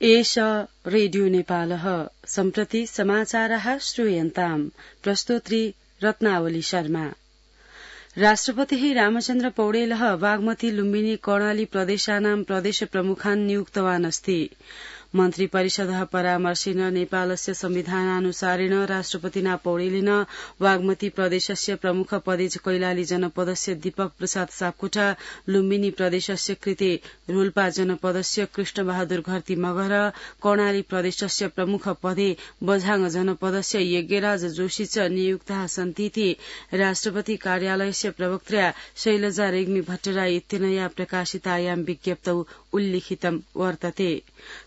एष रेडियो नेपालः सम्प्रति समाचारः श्रूयन्ताम् प्रस्तोत्री रत्नावली शर्मा। राष्ट्रपतिः रामचन्द्र पौडेलः बागमती लुम्बिनी कर्णाली प्रदेशानां प्रदेश प्रमुखान् नियुक्तवान् अस्ति। मन्त्री परिषदः परामर्शेन नेपालस्य संविधानानुसारेण राष्ट्रपतिना पौडेलेन बागमती प्रदेशस्य प्रमुख पदे कैलाली जनपदस्य दीपक प्रसाद सापकोटा, लुम्बिनी प्रदेशस्य कृते रोल्पा जनपदस्य कृष्णबहादुर घरती मगर, कर्णाली प्रदेशस्य प्रमुख पदे बझाङ जनपदस्य यज्ञराज जोशी च नियुक्ताः सन्तीति राष्ट्रपति कार्यालयस्य प्रवक्त्रा शैलजा रेग्मी भट्टराई इत्यनया प्रकाशितायां विज्ञप्तौ उल्लिखितं वर्तते।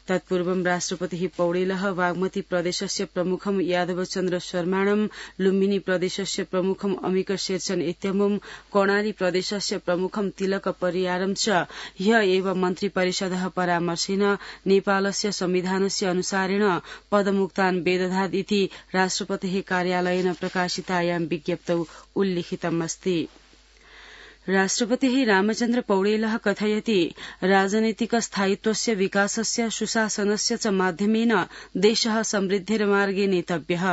तत्पूर्वं राष्ट्रपतिः पौडेलः बागमती प्रदेशस्य प्रमुखं यादवचन्द्र शर्माणं, लुम्बिनी प्रदेशस्य प्रमुखं अमिक शेरचन इत्यमुं, कर्णाली प्रदेशस्य प्रमुखं तिलक परियारं च ह्य एव मन्त्री परिषदः परामर्शेन नेपालस्य संविधानस्य अनुसारेण पदमुक्तान् वेदधात् इति राष्ट्रपतिः कार्यालयेन प्रकाशितायां विज्ञप्तौ उल्लिखितमस्ति। राष्ट्रपतिः रामचन्द्र पौडेलः कथयति राजनैतिक स्थायित्वस्य विकासस्य सुशासनस्य च माध्यमेन देशः समृद्धिर्मार्गे नेतव्यः।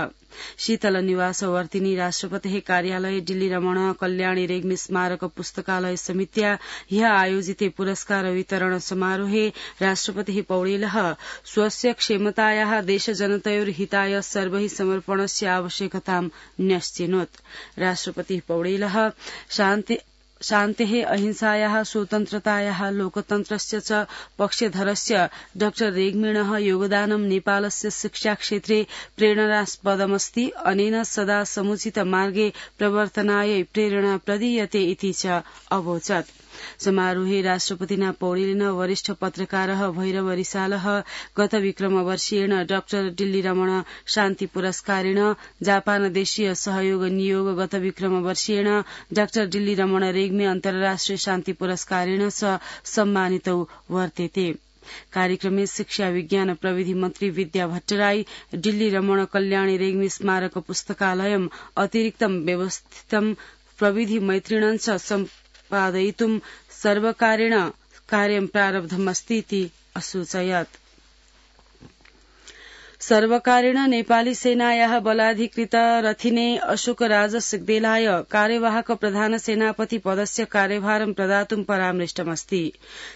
शीतलनिवासवर्तिनी राष्ट्रपतिः कार्यालय दिल्ली रमण कल्याणी रेग्मी स्मारक पुस्तकालय समित्या ह्य आयोजिते पुरस्कार वितरण समारोहे राष्ट्रपतिः पौडेलः स्वस्य क्षेमतायाः देशजनतयोर्हिताय सर्वैः समर्पणस्य आवश्यकतां न्यश्चिनोत्। राष्ट्रपतिः पौडेलः शान्तेः अहिंसायाः स्वतन्त्रतायाः लोकतन्त्रस्य च पक्षधरस्य डॉ रेग्मिणः योगदानं नेपालस्य शिक्षाक्षेत्रे प्रेरणास्पदमस्ति। अनेन सदा समुचित मार्गे प्रवर्तनाय प्रेरणा प्रदीयते इति च अवोचत्। समारोहे राष्ट्रपतिना पौडेलेन वरिष्ठ पत्रकारः भैरव रिसालः गत विक्रमवर्षीयेण डॉ दिल्ली रमण शान्ति पुरस्कारेण, जापान देशीय सहयोग नियोग गत विक्रमवर्षीयेण डॉ दिल्ली रमण रेग्मी अन्तर्राष्ट्रिय शान्ति पुरस्कारेण च सम्मानितौ वर्तेते। कार्यक्रमे शिक्षा विज्ञान प्रविधि मन्त्री विद्या भट्टराई, दिल्ली रमण कल्याणी रेग्मी स्मारक पुस्तकालयम् अतिरिक्तं व्यवस्थितं प्रविधि मैत्रिणं च सम्पादयितुं सर्वकारेण कार्यं प्रारब्धमस्तीति असूचयत्। सर्वकारेण नेपाली सेनायाः बलाधिकृत रथिने अशोकराज सिग्देलाय कार्यवाहक प्रधान सेनापति पदस्य कार्यभारं प्रदातुं परामृष्टमस्ति।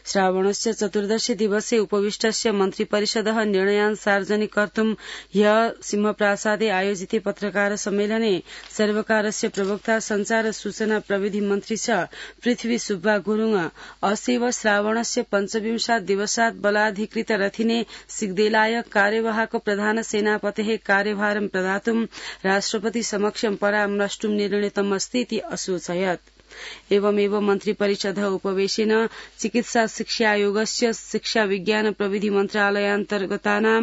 श्रावणस्य चतुर्दशी दिवसे उपविष्टस्य मन्त्रिपरिषदः निर्णयान् सार्वजनिक कर्तुं ह्य सिंहप्रासादे आयोजिते पत्रकार सम्मेलने सर्वकारस्य प्रवक्ता संचार सूचना प्रविधि मन्त्री च पृथ्वी सुब्बा गुरुङ असेव श्रावणस्य पञ्चविंशात् दिवसात् बलाधिकृत रथिने सिग्देलाय कार्यवाहक प्रधान सेनापतेः कार्यभारं प्रदातुं राष्ट्रपति समक्षं परामर्ष्टुं निर्णीतमस्तीति असूचयत्। एवमेव मन्त्रिपरिषदः उपवेशेन चिकित्सा शिक्षायोगस्य शिक्षा विज्ञान प्रविधि मन्त्रालयान्तर्गतानां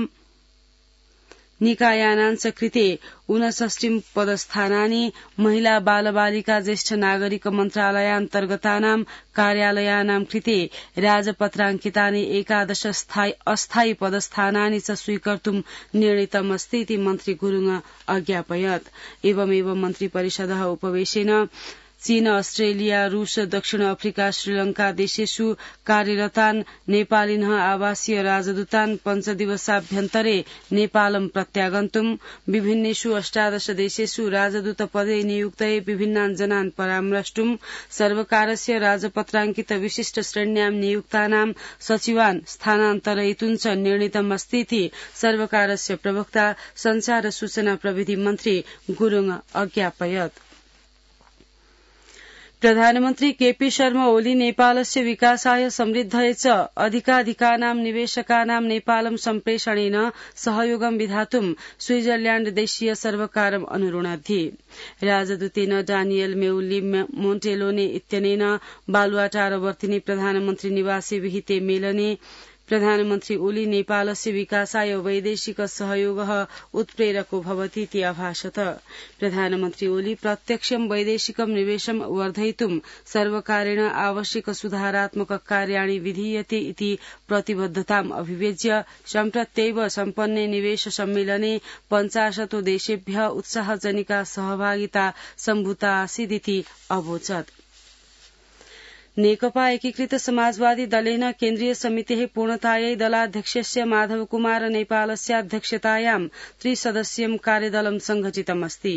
निकायानां च कृते 59 पदस्थानानि, महिला बाल बालिका ज्येष्ठ नागरिक मन्त्रालयान्तर्गतानां कार्यालयानां कृते राजपत्राङ्कितानि 11 अस्थायी पदस्थानानि च स्वीकर्तुं निर्णीतमस्तीति मन्त्री गुरुङ अज्ञापयत्। एवमेव मन्त्रिपरिषदः उपवेशेन चीन, अस्ट्रेलिया, रूस, दक्षिण अफ्रिका, श्रीलंका देशेषु कार्यरतान् नेपालिनः आवासीय राजदूतान् 5 दिवसाभ्यन्तरे नेपालं प्रत्यागन्तुं, विभिन्नेषु 18 देशेषु राजदूत पदे नियुक्तये विभिन्नान् जनान् परामर्ष्टुं, सर्वकारस्य राजपत्राङ्कित विशिष्ट श्रेण्यां नियुक्तानां सचिवान् स्थानान्तरयितुं च निर्णीतमस्तीति सर्वकारस्य प्रवक्ता संचार सूचना प्रविधि मन्त्री गुरुङ अज्ञापयत्। प्रधानमन्त्री केपी शर्मा ओली नेपालस्य विकासाय समृद्धये च अधिकाधिकानां निवेशकानां नेपालं सम्प्रेषणेन सहयोगं विधातुं स्विट्जरल्याण्ड देशीय सर्वकारम् अनुरुणद्धि। राजदूतेन डानियल मेउली मोन्टेलोने इत्यनेन बालुवाटारवर्तिनि प्रधानमन्त्री निवासे विहिते मेलने प्रधानमन्त्री ओली नेपालस्य विकासाय वैदेशिक सहयोगः उत्प्रेरको भवतीति अभाषत। प्रधानमन्त्री ओली प्रत्यक्षं वैदेशिकं निवेशं वर्धयितुं सर्वकारेण आवश्यक सुधारात्मक कार्याणि विधीयते इति प्रतिबद्धताम् अभिव्यज्य सम्प्रत्यैव सम्पन्ने निवेश सम्मेलने 50 देशेभ्यः उत्साहजनिका सहभागिता सम्भूता आसीदिति अवोचत्। नेकपा एकीकृत समाजवादी दलेन केन्द्रीय समितेः पूर्णतायै दलाध्यक्षस्य माधवकुमार नेपालस्याध्यक्षतायां त्रिसदस्यं कार्यदलं संघटितमस्ति।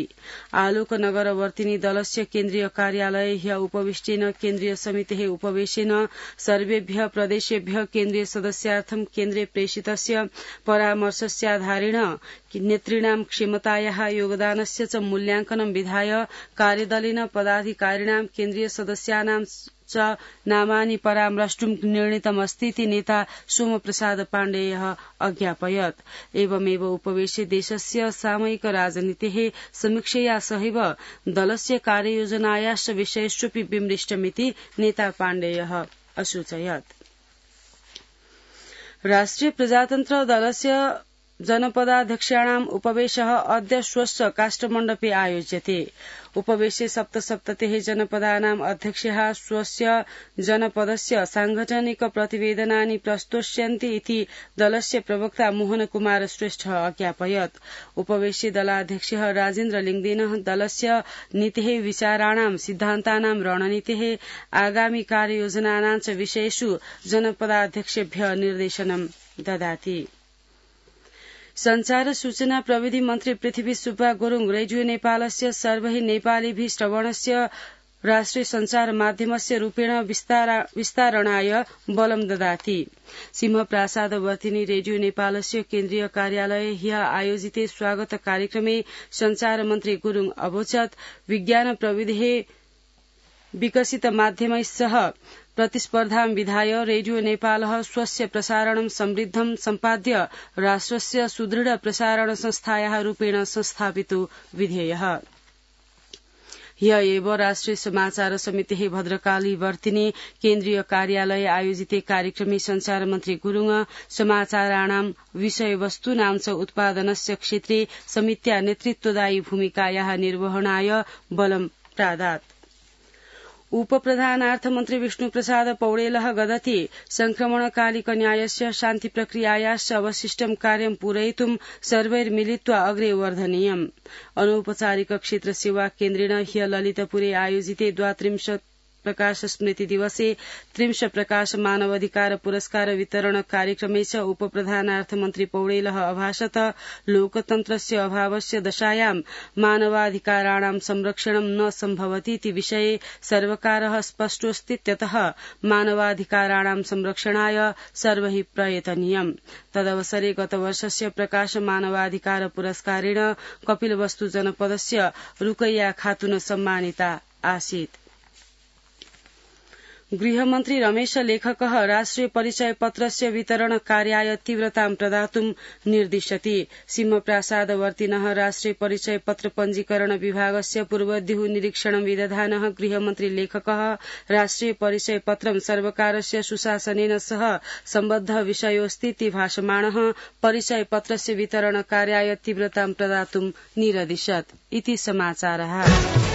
आलोकनगरवर्तिनी दलस्य केन्द्रीय कार्यालये ह्य उपविष्टेन केन्द्रीय समितेः उपवेशेन सर्वेभ्यः प्रदेशेभ्यः केन्द्रीय सदस्यार्थं केन्द्रे प्रेषितस्य परामर्शस्याधारेण नेतॄणां क्षमतायाः योगदानस्य च मूल्यांकनं विधाय कार्यदलेन पदाधिकारिणां केन्द्रीय सदस्यानां च नामानि परामर्ष्टुं निर्णीतमस्तीति नेता सोमप्रसाद पाण्डेयः अज्ञापयत्। एवमेव उपवेशे देशस्य सामयिक राजनीतेः समीक्षया सहैव दलस्य कार्ययोजनायाश्च विषयेष्वपि विमृष्टमिति नेता पाण्डेयः असूचयत्। राष्ट्रिय प्रजातन्त्र दलस्य जनपदाध्यक्षाणाम् उपवेशः अद्य स्वस्य काष्ठमण्डपे आयोज्यते। उपवेशे सप्तसप्ततिः जनपदानाम् अध्यक्षाः स्वस्य जनपदस्य सांगठनिक प्रतिवेदनानि प्रस्तोष्यन्ति इति दलस्य प्रवक्ता मोहन कुमार श्रेष्ठः अज्ञापयत्। उपवेशे दलाध्यक्षः राजेन्द्र लिङ्गदेनः दलस्य नीतेः विचाराणां सिद्धान्तानां रणनीतेः आगामि कार्ययोजनानां च विषयेषु जनपदाध्यक्षेभ्यः निर्देशनं ददाति। संचार सूचना प्रविधि मन्त्री पृथ्वी सुब्बा गुरुङ रेडियो नेपालस्य सर्वैः नेपालीभिः श्रवणस्य राष्ट्रिय संचार माध्यमस्य रूपेण विस्तारणाय बलं ददाति। सिंहप्रासादवर्तिनी रेडियो नेपालस्य केन्द्रीय कार्यालये ह्यः आयोजिते स्वागत कार्यक्रमे संचार मन्त्री गुरुङ अवोचत् विज्ञान प्रविधेः विकसित माध्यमैः सह प्रतिस्पर्धां विधाय रेडियो नेपालः स्वस्य प्रसारणं समृद्धं सम्पाद्य राष्ट्रस्य सुदृढ प्रसारण संस्थायाः रूपेण संस्थापितो विधेयः। ह्य एव राष्ट्रिय समाचार समितेः भद्रकाली वर्तिनी केन्द्रीय कार्यालये आयोजिते कार्यक्रमे संचार मन्त्री गुरुङ समाचाराणां विषयवस्तूनां च उत्पादनस्य क्षेत्रे समित्या नेतृत्वदायी भूमिकायाः निर्वहणाय बलं प्रादात्। उपप्रधानार्थमन्त्री विष्णुप्रसाद पौडेलः गदति संक्रमणकालिक न्यायस्य शान्तिप्रक्रियायाश्च अवशिष्टं कार्यं पूरयितुं सर्वैर्मिलित्वा अग्रे वर्धनीयम्। अनौपचारिक क्षेत्र सेवा केन्द्रेण ह्य ललितपुरे आयोजिते 32 प्रकाश स्मृति दिवसे 30 प्रकाश मानवाधिकार पुरस्कार वितरण कार्यक्रमे च उपप्रधानार्थमन्त्री पौडेलः अभाषत लोकतन्त्रस्य अभावस्य दशायां मानवाधिकाराणां संरक्षणं न सम्भवतीति विषये सर्वकारः स्पष्टोऽस्तीत्यतः मानवाधिकाराणां संरक्षणाय सर्वैः प्रयतनीयम्। तदवसरे गतवर्षस्य प्रकाश मानवाधिकार पुरस्कारेण कपिलवस्तु जनपदस्य रुकैया खातुन सम्मानिता आसीत्। गृहमन्त्री रमेश लेखकः राष्ट्रिय परिचय पत्रस्य वितरण कार्याय तीव्रतां प्रदातुं निर्दिशति। सिंहप्रासादवर्तिनः राष्ट्रिय परिचय पत्र पञ्जीकरण विभागस्य पूर्वद्युः निरीक्षणं विदधानः गृहमन्त्री लेखकः राष्ट्रिय परिचय पत्रं सर्वकारस्य सुशासनेन सह सम्बद्ध विषयोऽस्तीति भाषमाणः परिचय पत्रस्य वितरण कार्याय तीव्रतां प्रदातुं निरदिशत् इति समाचारः।